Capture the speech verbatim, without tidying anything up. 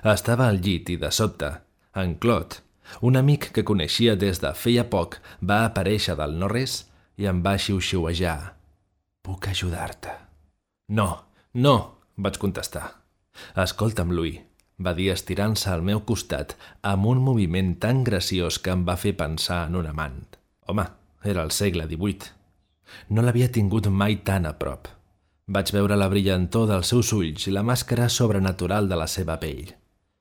Estava al llit i, de sobte, en Claude, un amic que coneixia des de feia poc, va aparèixer del no-res i em va xiu-xiuejar. «Puc ajudar-te?» «No, no», vaig contestar. «Escolta'm, Louis», va dir estirant-se al meu costat amb un moviment tan graciós que em va fer pensar en un amant. Home, era el segle divuit. No l'havia tingut mai tan a prop. Vaig veure la brillantor dels seus ulls i la màscara sobrenatural de la seva pell.